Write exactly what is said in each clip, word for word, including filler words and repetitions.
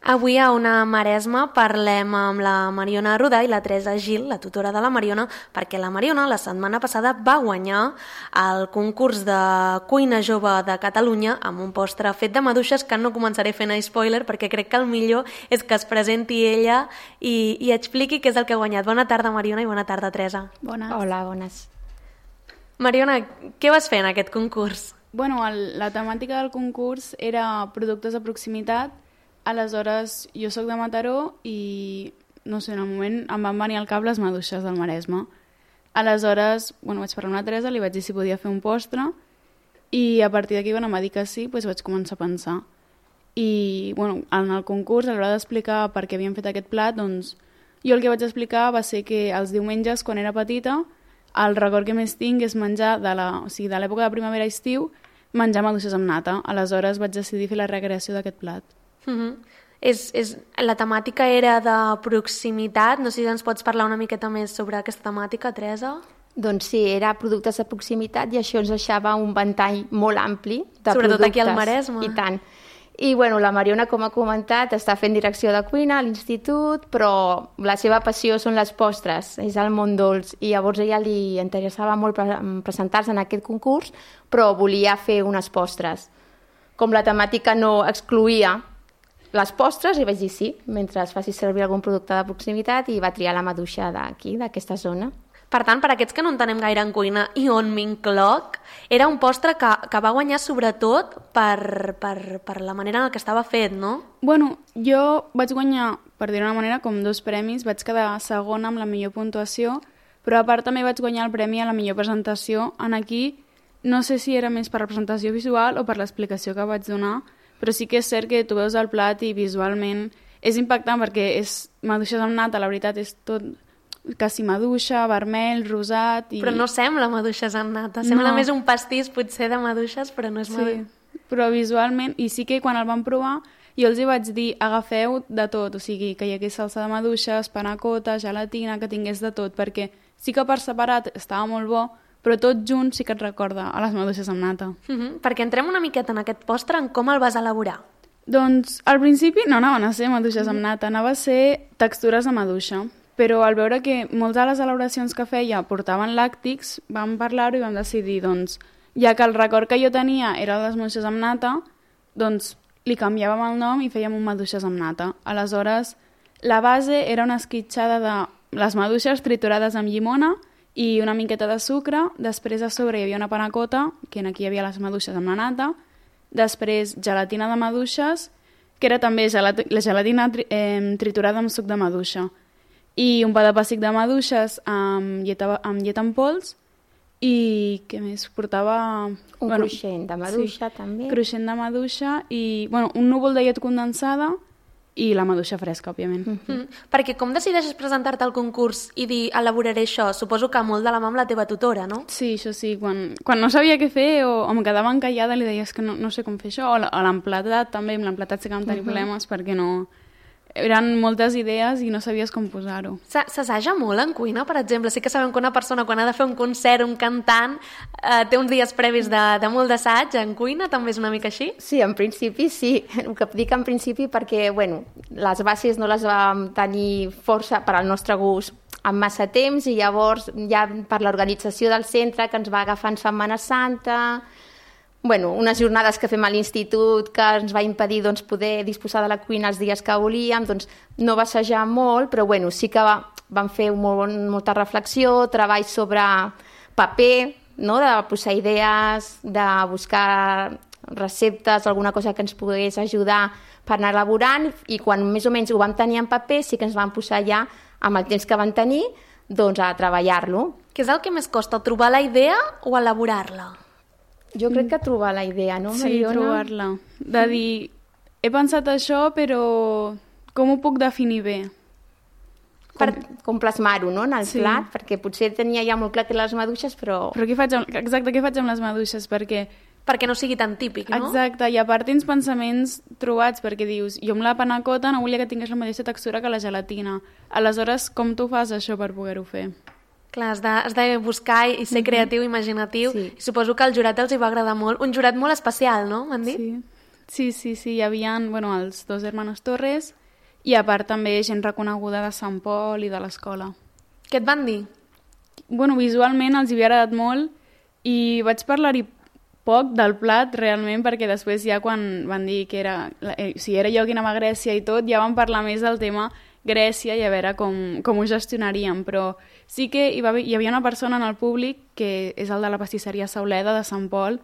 Avui a Ona Maresma parlem amb la Mariona Arruda i la Teresa Gil, la tutora de la Mariona, perquè la Mariona la setmana passada va guanyar el concurs de cuina jove de Catalunya amb un postre fet de maduixes que no començaré fent spoiler perquè crec que el millor és que es presenti ella i, i expliqui què és el que ha guanyat. Bona tarda, Mariona, i bona tarda, Teresa. Bones. Hola, bones. Mariona, què vas fer en aquest concurs? Bueno, el, la temàtica del concurs era productes de proximitat. Aleshores, jo sóc de Mataró i, no sé, en el moment em van venir al cap les maduixes del Maresme. Aleshores, bueno, vaig parlar amb la Teresa, li vaig dir si podia fer un postre i a partir d'aquí, bueno, em va dir que sí, doncs vaig començar a pensar. I, bueno, en el concurs, a l'hora d'explicar per què havíem fet aquest plat, doncs, jo el que vaig explicar va ser que els diumenges, quan era petita, el record que més tinc és menjar de la, o sigui, de l'època de primavera-estiu, menjar maduixes amb nata. Aleshores vaig decidir fer la recreació d'aquest plat. Uh-huh. és, és, la temàtica era de proximitat, no sé si ens pots parlar una miqueta més sobre aquesta temàtica, Teresa? Doncs sí, era productes de proximitat i això ens deixava un ventall molt ampli de Sobretot productes. aquí al Maresme. I tant. I bueno, la Mariona, com ha comentat, està fent direcció de cuina a l'institut, però la seva passió són les postres, és el món dolç, i llavors a ella li interessava molt pre presentar-se en aquest concurs, però volia fer unes postres. Com la temàtica no excloïa les postres, i vaig dir sí, mentre es faci servir algun producte de proximitat, i va triar la maduixa d'aquí, d'aquesta zona. Per tant, per aquests que no entenem gaire en cuina, i on m'incloc, era un postre que, que va guanyar sobretot per, per, per la manera en què estava fet, no? Bueno, jo vaig guanyar, per dir-ho d'una manera, com dos premis. Vaig quedar segona amb la millor puntuació, però a part també vaig guanyar el premi a la millor presentació. En aquí, no sé si era més per la presentació visual o per l'explicació que vaig donar, però sí que és cert que tu veus el plat i visualment és impactant perquè és maduixes amb nata, la veritat és tot quasi maduixa, vermell, rosat... I... Però no sembla maduixes amb nata, sembla no. més un pastís potser de maduixes, però no és maduixes. Sí, però visualment, i sí que quan el vam provar, jo els hi vaig dir, agafeu de tot, o sigui, que hi hagués salsa de maduixes, panacota, gelatina, que tingués de tot, perquè sí que per separat estava molt bo, però tot junt sí que et recorda a les maduixes amb nata. Uh -huh. Perquè entrem una miqueta en aquest postre, en com el vas elaborar. Doncs al principi no anaven a ser maduixes amb nata, anava a ser textures de maduixa, però al veure que moltes de les elaboracions que feia portaven làctics, vam parlar-ho i vam decidir, doncs, ja que el record que jo tenia era les maduixes amb nata, doncs li canviàvem el nom i fèiem un maduixes amb nata. Aleshores, la base era una esquitxada de les maduixes triturades amb llimona i una miqueta de sucre. Després a sobre hi havia una panacota, que aquí hi havia les maduixes amb la nata. Després gelatina de maduixes, que era també gelat la gelatina tri eh, triturada amb suc de maduixa. I un pa de pessic de maduixes amb llet, amb llet en pols. I què més? Portava... Un bueno, cruixent de maduixa, sí, també. Cruixent de maduixa i bueno, un núvol de llet condensada i la maduixa fresca, òbviament. Mm -hmm. Perquè com decideixes presentar-te al concurs i dir elaboraré això? Suposo que molt de la mà amb la teva tutora, no? Sí, això sí. Quan, quan no sabia què fer o, o em quedava encallada li deies que no, no sé com fer això, o l'emplatat també, amb l'emplatat sí que vam tenir mm -hmm. problemes perquè no... Eren moltes idees i no sabies com posar-ho. S'assaja molt en cuina, per exemple? Sí que sabem que una persona quan ha de fer un concert, un cantant, eh, té uns dies previs de, de molt d'assaig. En cuina també és una mica així? Sí, en principi sí. El que dic en principi perquè, bueno, les bases no les vam tenir força per al nostre gust en massa temps i llavors ja per l'organització del centre que ens va agafar en Setmana Santa... Bueno, unes jornades que fem a l'institut que ens va impedir doncs, poder disposar de la cuina els dies que volíem, doncs no va assajar molt, però bueno, sí que va, vam fer molt, molta reflexió, treball sobre paper, no? De posar idees, de buscar receptes, alguna cosa que ens pogués ajudar per anar elaborant, i quan més o menys ho vam tenir en paper sí que ens vam posar ja, amb el temps que vam tenir, doncs a treballar-lo. Què és el que més costa, trobar la idea o elaborar-la? Jo crec que trobar la idea, no, Mariona? Sí, trobar-la. De dir, he pensat això, però com ho puc definir bé? Per, com plasmar-ho, no?, en el sí. plat, perquè potser tenia ja molt clar que les maduixes, però... Però què faig amb, exacte, què faig amb les maduixes? Perquè... Perquè no sigui tan típic, no? Exacte, i a part tens pensaments trobats, perquè dius, jo amb la panacota no volia que tingués la mateixa textura que la gelatina. Aleshores, com tu fas això per poder-ho fer? Clar, has de, has de buscar i ser creatiu, imaginatiu. Sí. I suposo que al jurat els hi va agradar molt. Un jurat molt especial, no? M'han dit? Sí. Sí, sí, sí, hi havia bueno, els dos hermanos Torres i a part també gent reconeguda de Sant Pol i de l'escola. Què et van dir? Bueno, visualment els hi havia agradat molt i vaig parlar-hi poc del plat realment perquè després ja quan van dir que era, eh, si era jo qui anava a Grècia i tot, ja vam parlar més del tema Grècia i a veure com, com ho gestionaríem, però sí que hi, va, hi havia una persona en el públic que és el de la pastisseria Sauleda de Sant Pol,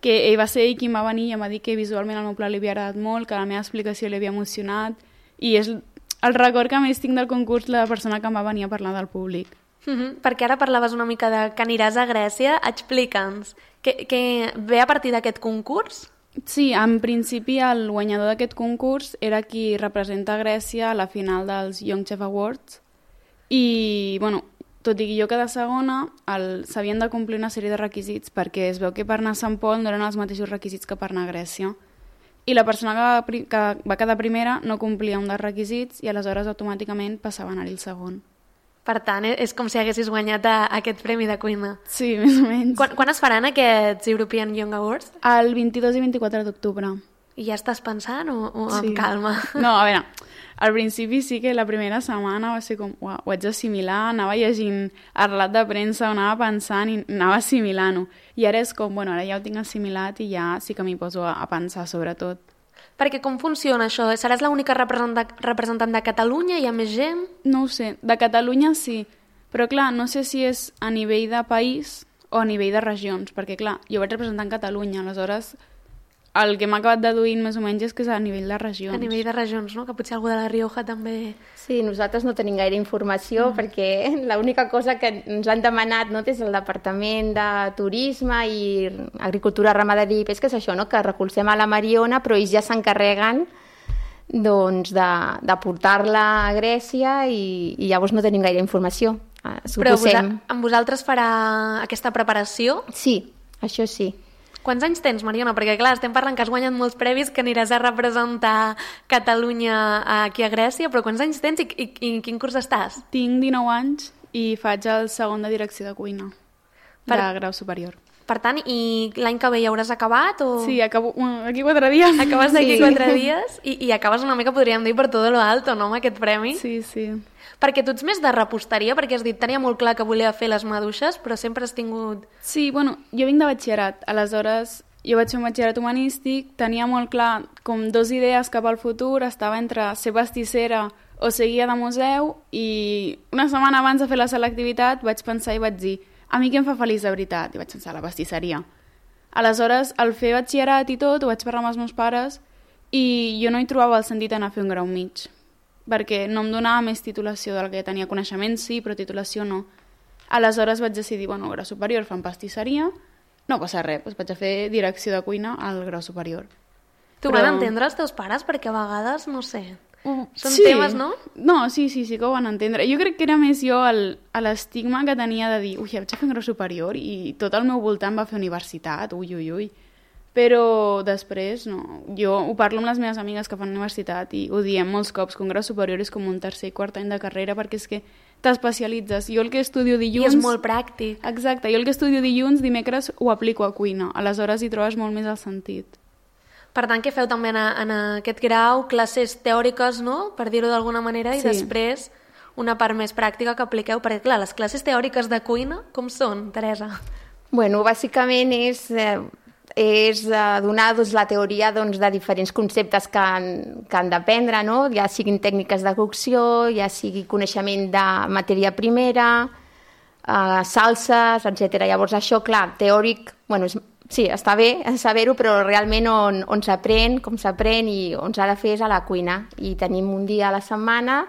que ell va ser ell qui em va venir i em va dir que visualment el meu plat li havia agradat molt, que la meva explicació li havia emocionat i és el record que més tinc del concurs la persona que em va venir a parlar del públic. Mm-hmm. Perquè ara parlaves una mica de que aniràs a Grècia, explica'ns, que, que ve a partir d'aquest concurs? Sí, en principi el guanyador d'aquest concurs era qui representa Grècia a la final dels Young Chef Awards i, bueno, tot i que jo quedar segona, s'havien de complir una sèrie de requisits perquè es veu que per anar a Sant Pol no eren els mateixos requisits que per anar a Grècia. I la persona que va, que va quedar primera no complia un dels requisits i aleshores automàticament passava a anar-hi el segon. Per tant, és com si haguessis guanyat a, a aquest premi de cuina. Sí, més o menys. Quan, quan es faran aquests European Young Awards? El vint-i-dos i vint-i-quatre d'octubre. I ja estàs pensant o, o sí. amb calma? No, a veure, al principi sí que la primera setmana va ser com, uau, ho haig d'assimilar, anava llegint el relat de premsa, anava pensant i anava assimilant-ho. I ara és com, bueno, ara ja ho tinc assimilat i ja sí que m'hi poso a, a pensar sobretot. Perquè com funciona això? Seràs l'única representant, representant de Catalunya? Hi ha més gent? No ho sé. De Catalunya sí. Però clar, no sé si és a nivell de país o a nivell de regions. Perquè clar, jo vaig representant Catalunya. Aleshores, el que m'ha acabat deduint més o menys és que és a nivell de regions. A nivell de regions, no? Que potser algú de la Rioja també... Sí, nosaltres no tenim gaire informació mm. perquè l'única cosa que ens han demanat no, des del Departament de Turisme i Agricultura, Ramaderia i Pesca és això, no? Que recolzem a la Mariona, però ells ja s'encarreguen doncs, de, de portar-la a Grècia i, i llavors no tenim gaire informació. Eh, però vosa, amb vosaltres farà aquesta preparació? Sí, això sí. Quants anys tens, Mariona? Perquè, clar, estem parlant que has guanyat molts premis, que aniràs a representar Catalunya aquí a Grècia, però quants anys tens i, i, i en quin curs estàs? Tinc dinou anys i faig el segon de direcció de cuina, per... de grau superior. Per tant, i l'any que ve ja hauràs acabat? O... Sí, acabo aquí quatre dies. Acabes d'aquí sí. quatre dies i, i acabes una mica, podríem dir, per tot lo alto, no?, amb aquest premi. Sí, sí. Perquè tu ets més de reposteria, perquè has dit, tenia molt clar que volia fer les maduixes, però sempre has tingut... Sí, bueno, jo vinc de batxillerat, aleshores jo vaig fer un batxillerat humanístic, tenia molt clar com dos idees cap al futur, estava entre ser pastissera o ser guia de museu i una setmana abans de fer la selectivitat vaig pensar i vaig dir, a mi què em fa feliç de veritat? I vaig pensar, la pastisseria. Aleshores, al fer batxillerat i tot, ho vaig parlar amb els meus pares i jo no hi trobava el sentit d'anar a fer un grau mig, perquè no em donava més titulació del que tenia coneixement, sí, però titulació no. Aleshores vaig decidir, bueno, grau superior fan pastisseria, no passa res, doncs vaig a fer direcció de cuina al grau superior. Tu però... van entendre els teus pares? Perquè a vegades, no sé, uh, són sí. temes, no? No, sí, sí, sí que ho van entendre. Jo crec que era més jo l'estigma que tenia de dir, ui, vaig a fer un grau superior i tot el meu voltant va fer universitat, ui, ui, ui. Però després, no. Jo ho parlo amb les meves amigues que fan universitat i ho diem molts cops, que un grau superior és com un tercer i quart any de carrera perquè és que t'especialitzes. Jo el que estudio dilluns... I és molt pràctic. Exacte, jo el que estudio dilluns, dimecres ho aplico a cuina. Aleshores hi trobes molt més el sentit. Per tant, que feu també en, en aquest grau classes teòriques, no?, per dir-ho d'alguna manera, i sí. després una part més pràctica que apliqueu, perquè clar, les classes teòriques de cuina, com són, Teresa? Bueno, bàsicament és... Eh... és donar doncs, la teoria doncs, de diferents conceptes que han, que han d'aprendre, no? Ja siguin tècniques de cocció, ja sigui coneixement de matèria primera, eh, salses, etcètera. Llavors això, clar, teòric, bueno, és, sí, està bé saber-ho, però realment on, on s'aprèn, com s'aprèn i on s'ha de fer és a la cuina. I tenim un dia a la setmana,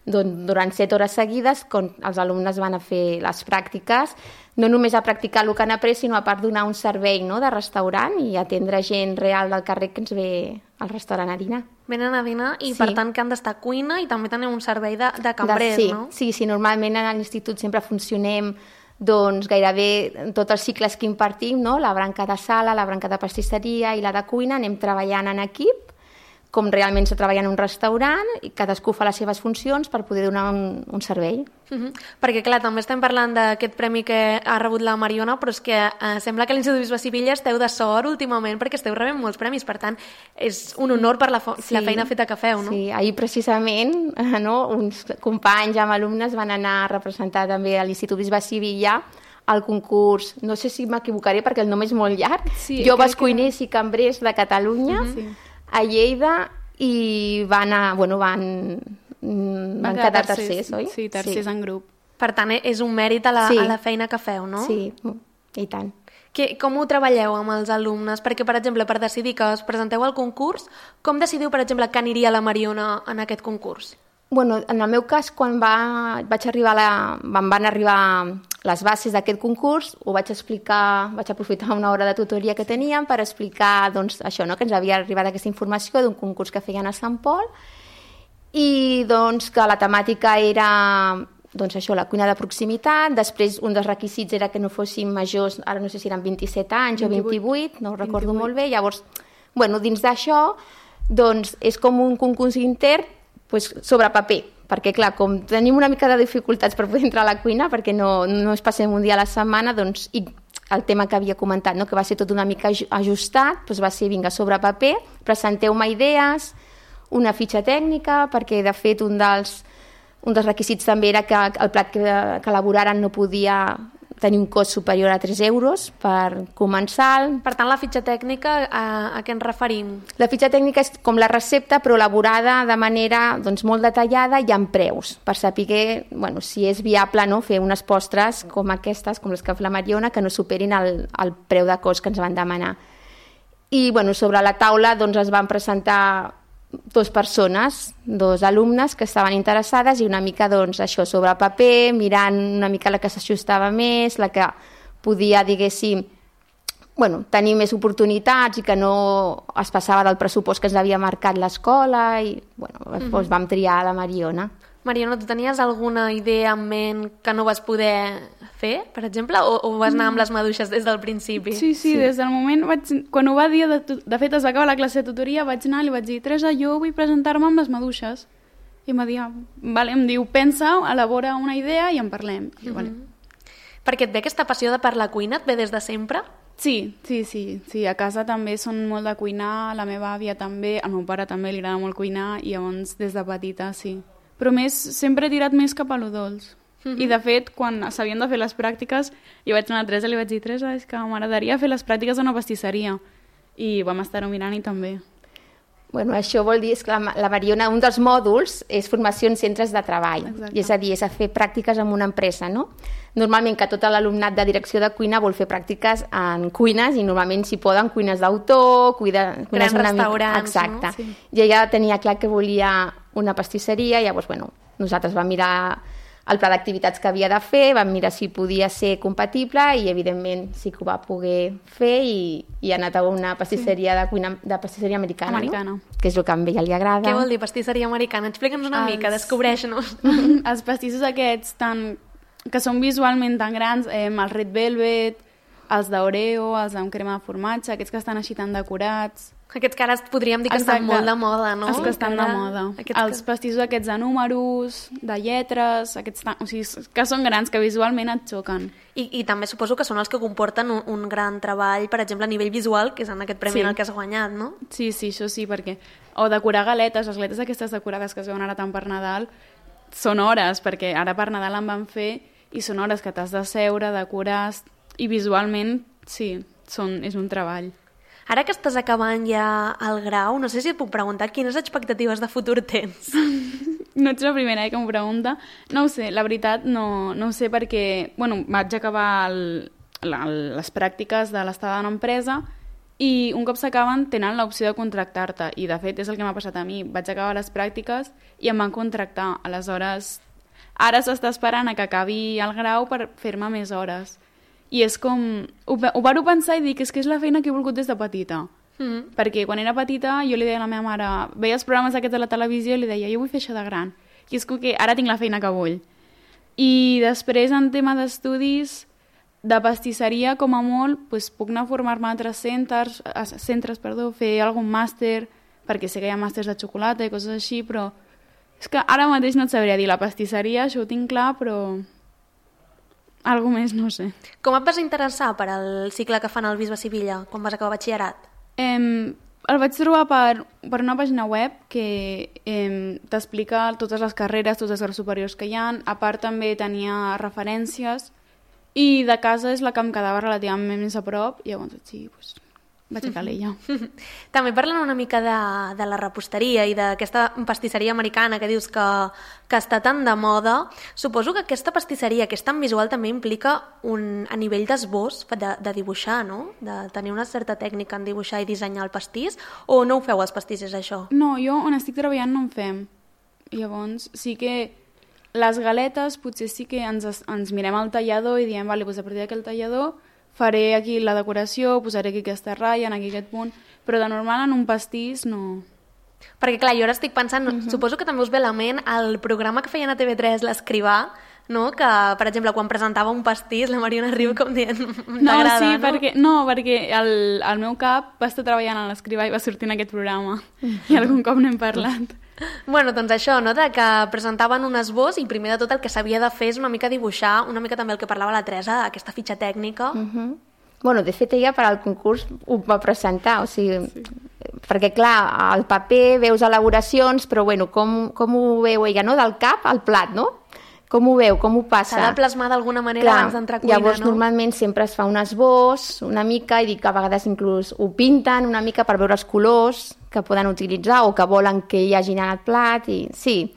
doncs, durant set hores seguides, on els alumnes van a fer les pràctiques, no només a practicar el que han après, sinó a part donar un servei, no?, de restaurant i atendre gent real del carrer que ens ve al restaurant a dinar. Venen a dinar i, sí. per tant, que han d'estar a cuina i també teniu un servei de, de cambrers, de, sí, no? Sí, sí, normalment a l'institut sempre funcionem doncs, gairebé tots els cicles que impartim, no?, la branca de sala, la branca de pastisseria i la de cuina, anem treballant en equip, com realment se treballa en un restaurant i cadascú fa les seves funcions per poder donar un, un servei. Uh-huh. Perquè, clar, també estem parlant d'aquest premi que ha rebut la Mariona, però és que eh, sembla que a l'Institut Bisbe Sivilla esteu de sort últimament perquè esteu rebent molts premis, per tant, és un honor per la, sí. la feina feta que feu, no? Sí, ahir precisament no, uns companys amb alumnes van anar a representar també a l'Institut Bisbe Sivilla al concurs, no sé si m'equivocaré perquè el nom és molt llarg, sí, Joves Cuiners que... i Cambrers de Catalunya, uh-huh. sí. a Lleida, i van, a, bueno, van, van, van quedar tercers, oi? Sí, tercers sí. en grup. Per tant, és un mèrit a la, sí. a la feina que feu, no? Sí, i tant. Que, com ho treballeu amb els alumnes? Perquè, per exemple, per decidir que us presenteu al concurs, com decidiu, per exemple, que aniria la Mariona en aquest concurs? Bueno, en el meu cas, quan va, vaig arribar la, van, van arribar les bases d'aquest concurs, ho vaig explicar, vaig aprofitar una hora de tutoria que teníem per explicar doncs, això, no? que ens havia arribat aquesta informació d'un concurs que feien a Sant Pol i doncs, que la temàtica era doncs, això, la cuina de proximitat. Després un dels requisits era que no fossin majors, ara no sé si eren vint-i-set anys o vint-i-vuit, no ho recordo vint-i-vuit. Molt bé. Llavors, bueno, dins d'això doncs, és com un concurs intern pues, sobre paper, perquè clar, com tenim una mica de dificultats per poder entrar a la cuina, perquè no, no es passem un dia a la setmana, doncs, i el tema que havia comentat, no? que va ser tot una mica ajustat, doncs va ser, vinga, sobre paper, presenteu-me idees, una fitxa tècnica, perquè de fet un dels, un dels requisits també era que el plat que, que elaboraren no podia tenir un cost superior a tres euros per començar. Per tant, la fitxa tècnica, a, a què ens referim? La fitxa tècnica és com la recepta, però elaborada de manera doncs, molt detallada i amb preus, per saber bueno, si és viable no, fer unes postres com aquestes, com les que fa la Mariona, que no superin el, el preu de cost que ens van demanar. I bueno, sobre la taula doncs, es van presentar dues persones, dos alumnes que estaven interessades i una mica doncs, això sobre paper, mirant una mica la que s'ajustava més, la que podia, diguéssim, bueno, tenir més oportunitats i que no es passava del pressupost que ens havia marcat l'escola i bueno, mm-hmm. doncs vam triar la Mariona. Mariona, tu tenies alguna idea en ment que no vas poder fer, per exemple, o, o vas anar amb les maduixes des del principi? Sí, sí, sí. Des del moment, vaig, quan ho va dir, de, de fet es va acabar la classe de tutoria, vaig anar i li vaig dir, Teresa, jo vull presentar-me amb les maduixes. I em va dir, vale, em diu, pensa, elabora una idea i en parlem. I, mm-hmm. vale. Perquè et ve aquesta passió de per la cuina, et ve des de sempre? Sí, sí, sí, sí, a casa també són molt de cuinar, la meva àvia també, al meu pare també li agrada molt cuinar i llavors des de petita, sí. Però més, sempre he tirat més cap a lo dolç. Mm-hmm. I de fet, quan s'havien de fer les pràctiques, jo vaig anar a Teresa i li vaig dir, Teresa, és que m'agradaria fer les pràctiques a una pastisseria. I vam estar-ho mirant i també. Bueno, això vol dir que la, la Mariona, un dels mòduls és formació en centres de treball. Exacte. I és a dir, és a fer pràctiques en una empresa, no? Normalment que tot l'alumnat de direcció de cuina vol fer pràctiques en cuines i normalment si poden cuines d'autor, cuines grans restaurants, exacte. No? Sí. I ella tenia clar que volia una pastisseria, llavors, bueno, nosaltres vam mirar el pla d'activitats que havia de fer, vam mirar si podia ser compatible i, evidentment, sí que ho va poder fer i, i ha anat a una pastisseria sí. de cuina de pastisseria americana, americana. No? Que és el que a ella li agrada. Què vol dir pastisseria americana? Explica'ns una els... mica, descobreix-nos. Els pastissos aquests tan... que són visualment tan grans, eh, els Red Velvet, els d'Oreo, els amb crema de formatge, aquests que estan així tan decorats... Aquests que ara podríem dir que Exacte. Estan molt de moda, no? Els que estan de moda. Aquests els que... pastissos aquests de números, de lletres, aquests tan... o sigui, que són grans, que visualment et xoquen. I, i també suposo que són els que comporten un, un gran treball, per exemple, a nivell visual, que és en aquest premi sí. en el que has guanyat, no? Sí, sí, això sí, perquè... O decorar galetes, les galetes aquestes decorades que es veuen ara tant per Nadal, són hores, perquè ara per Nadal en van fer, i són hores que t'has de seure, decorar, i visualment, sí, són, és un treball. Ara que estàs acabant ja el grau, no sé si et puc preguntar quines expectatives de futur tens. No ets la primera eh, que m'ho pregunta. No ho sé, la veritat no, no ho sé perquè bueno, vaig acabar el, la, les pràctiques de l'estada en empresa i un cop s'acaben tenen l'opció de contractar-te i de fet és el que m'ha passat a mi. Vaig acabar les pràctiques i em van contractar. Aleshores, ara s'està esperant a que acabi el grau per fer-me més hores. I és com... Ho, ho varo pensar i dic, és que és la feina que he volgut des de petita. Mm. Perquè quan era petita jo li deia a la meva mare, veia els programes aquests de la televisió i li deia, jo vull fer això de gran. I és com que ara tinc la feina que vull. I després, en tema d'estudis, de pastisseria, com a molt, doncs, puc anar a formar-me a altres centres, a centres, perdó, fer algun màster, perquè sé que hi ha màsters de xocolata i coses així, però és que ara mateix no et sabria dir. La pastisseria, això ho tinc clar, però algo més no sé. Com et vas interessar per al cicle que fan al Bisbe Sivilla quan vas acabar batxillerat? Eh, el vaig trobar per, per una pàgina web que eh, t'explica totes les carreres, tots els graus superiors que hi ha. A part també tenia referències i de casa és la que em quedava relativament més a prop i llavors sí, doncs, vaig a l'ella. També parlant una mica de, de la reposteria i d'aquesta pastisseria americana que dius que, que està tan de moda, suposo que aquesta pastisseria, que és tan visual, també implica un, a nivell d'esbós de, de dibuixar, no? De tenir una certa tècnica en dibuixar i dissenyar el pastís, o no ho feu els pastissos, això? No, jo on estic treballant no en fem. Llavors sí que les galetes potser sí que ens, ens mirem al tallador i diem, vale, doncs a partir d'aquell tallador faré aquí la decoració, posaré aquí aquesta ratlla, aquí aquest punt, però de normal en un pastís no. Perquè clar, jo ara estic pensant, uh -huh. suposo que també us ve a la ment el programa que feien a T V tres, l'Escrivà, no? Que, per exemple, quan presentava un pastís, la Mariona riu com dient, t'agrada, no? Sí, no? perquè, no, perquè el, el meu cap va estar treballant a l'Escrivà i va sortir en aquest programa, i algun cop n'hem parlat. Bueno, doncs això, no? De que presentaven un esbós i primer de tot el que s'havia de fer és una mica dibuixar, una mica també el que parlava la Teresa, aquesta fitxa tècnica. Uh -huh. Bueno, de fet, ella per al concurs ho va presentar, o sigui, sí. Perquè clar, al paper veus elaboracions, però bueno, com, com ho veu ella, no? Del cap al plat, no? Com ho veu, com ho passa? S'ha de plasmar d'alguna manera clar, abans d'entrar a cuina, llavors, no? normalment sempre es fa un esbós, una mica, i dic que a vegades inclús ho pinten una mica per veure els colors que poden utilitzar o que volen que hi hagi en el plat, i sí.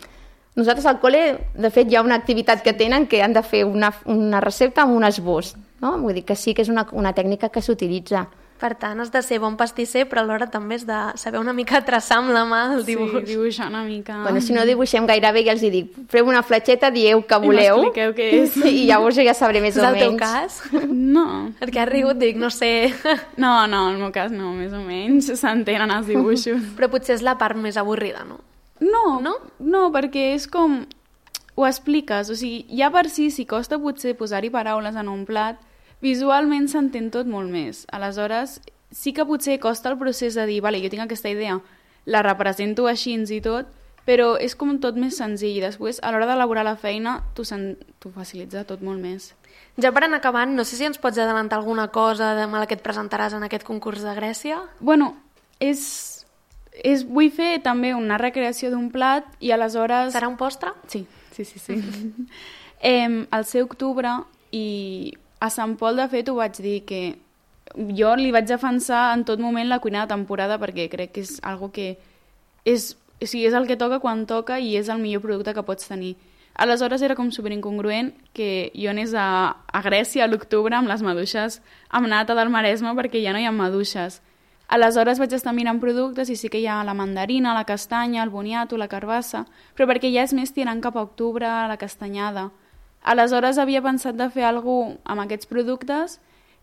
Nosaltres al col·le, de fet, hi ha una activitat que tenen que han de fer una, una recepta amb un esbós, no? Vull dir que sí que és una, una tècnica que s'utilitza. Per tant, has de ser bon pastisser, però alhora també has de saber una mica traçar amb la mà el dibuix. Sí, dibuixar una mica. Bueno, si no dibuixem gaire bé, ja els dic, feu una fletxeta, dieu que voleu. I m'expliqueu què és. I llavors jo ja sabré més és o menys. És el teu cas? No. Perquè has rigut, dic, no sé. No, no, en el meu cas no, més o menys s'entenen els dibuixos. Però potser és la part més avorrida, no? No, no, no, perquè és com... Ho expliques, o sigui, ja per si, si costa potser posar-hi paraules en un plat, visualment s'entén tot molt més. Aleshores, sí que potser costa el procés de dir, vale, jo tinc aquesta idea, la represento així i tot, però és com tot més senzill. I després, a l'hora d'elaborar la feina, t'ho facilita tot molt més. Ja per anar acabant, no sé si ens pots adelantar alguna cosa de la que et presentaràs en aquest concurs de Grècia? Bueno, és... és vull fer també una recreació d'un plat i aleshores... Serà un postre? Sí, sí, sí. sí. eh, al ser octubre i a Sant Pol, de fet, ho vaig dir que jo li vaig defensar en tot moment la cuina de temporada perquè crec que és algo que és, o sigui, és el que toca quan toca i és el millor producte que pots tenir. Aleshores era com superincongruent que jo anés a, a Grècia a l'octubre amb les maduixes amb nata del Maresme perquè ja no hi ha maduixes. Aleshores vaig estar mirant productes i sí que hi ha la mandarina, la castanya, el boniato, la carbassa, però perquè ja és més tirant cap a octubre, la castanyada. Aleshores havia pensat de fer alguna cosa amb aquests productes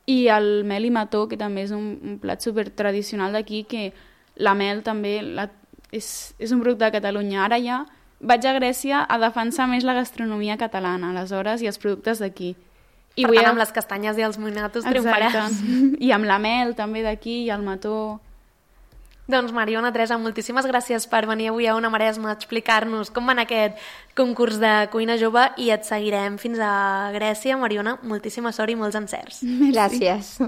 i el mel i mató, que també és un, un plat super tradicional d'aquí, que la mel també la, és, és un producte de Catalunya. Ara ja vaig a Grècia a defensar més la gastronomia catalana, aleshores, i els productes d'aquí. I per tant, a... amb les castanyes i els moinatos triomfaràs. I amb la mel també d'aquí i el mató. Doncs Mariona, Teresa, moltíssimes gràcies per venir avui a Ona Maresme a explicar-nos com va anar aquest concurs de cuina jove i et seguirem fins a Grècia. Mariona, moltíssima sort i molts encerts. Gràcies.